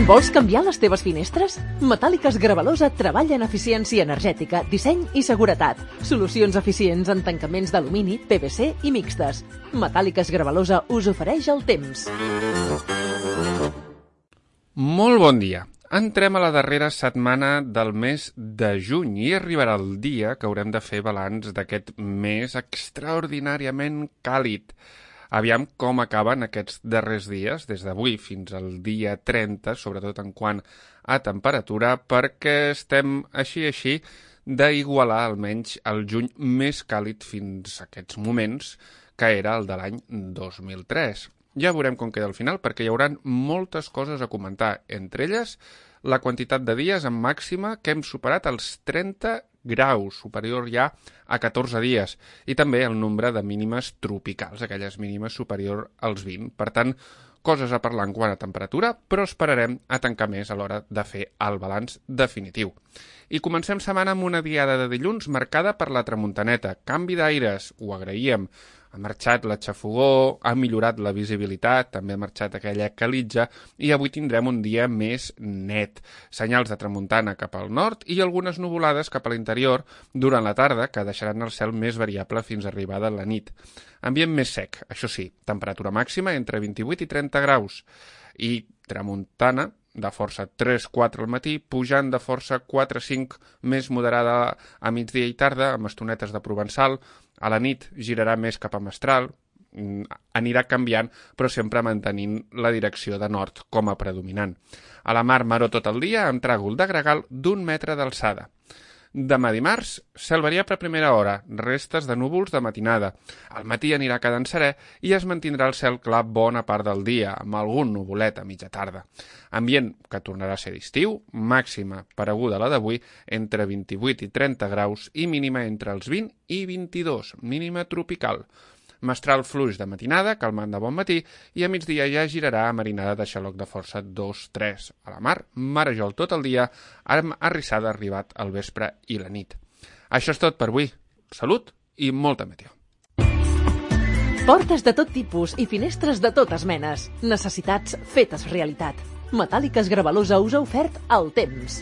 Vols canviar les teves finestres? Metàl·liques Gravalosa treballa en eficiència energètica, disseny i seguretat. Solucions eficients en tancaments d'alumini, PVC i mixtes. Metàl·liques Gravalosa us ofereix el temps. Molt bon dia. Entrem a la darrera setmana del mes de juny i arribarà el dia que haurem de fer balanç d'aquest mes extraordinàriament càlid. Aviam com acaben aquests darrers dies, des d'avui fins al dia 30, sobretot en quant a temperatura, perquè estem així d'igualar almenys el juny més càlid fins a aquests moments, que era el de l'any 2003. Ja veurem com queda al final, perquè hi haurà moltes coses a comentar, entre elles la quantitat de dies en màxima que hem superat els 30 graus, superior ja a 14 dies, i també el nombre de mínimes tropicals, aquelles mínimes superior als 20. Per tant, coses a parlar en quant a temperatura, però esperarem a tancar més a l'hora de fer el balanç definitiu. I comencem setmana amb una diada de dilluns marcada per la tramuntaneta. Canvi d'aires, ho agraïem. Ha marxat la xafogor, ha millorat la visibilitat, també ha marxat aquella calitja i avui tindrem un dia més net. Senyals de tramuntana cap al nord i algunes nuvolades cap a l'interior durant la tarda que deixaran el cel més variable fins a arribada la nit. Ambient més sec, això sí, temperatura màxima entre 28 i 30 graus i tramuntana de força 3-4 al matí, pujant de força 4-5 més moderada a migdia i tarda, amb estonetes de provençal. A la nit girarà més cap a mestral, anirà canviant, però sempre mantenint la direcció de nord com a predominant. A la mar, maró tot el dia, amb tràgol de gregal d'1 metre d'alçada. Demà dimarts, cel variable a primera hora, restes de núvols de matinada. Al matí anirà quedant serè i es mantindrà el cel clar bona part del dia, amb algun nuvolet a mitja tarda. Ambient que tornarà a ser d'estiu, màxima pareguda a la d'avui, entre 28 i 30 graus i mínima entre els 20 i 22, mínima tropical. Mestral fluix de matinada, calmant de bon matí, i a migdia ja girarà a marinada de xaloc de força 2-3. A la mar, marejol tot el dia, amb arrissada arribat al vespre i la nit. Això és tot per avui. Salut i molta meteo. Portes de tot tipus i finestres de totes menes. Necessitats fetes realitat. Metàl·liques Gravalosa us ha ofert el temps.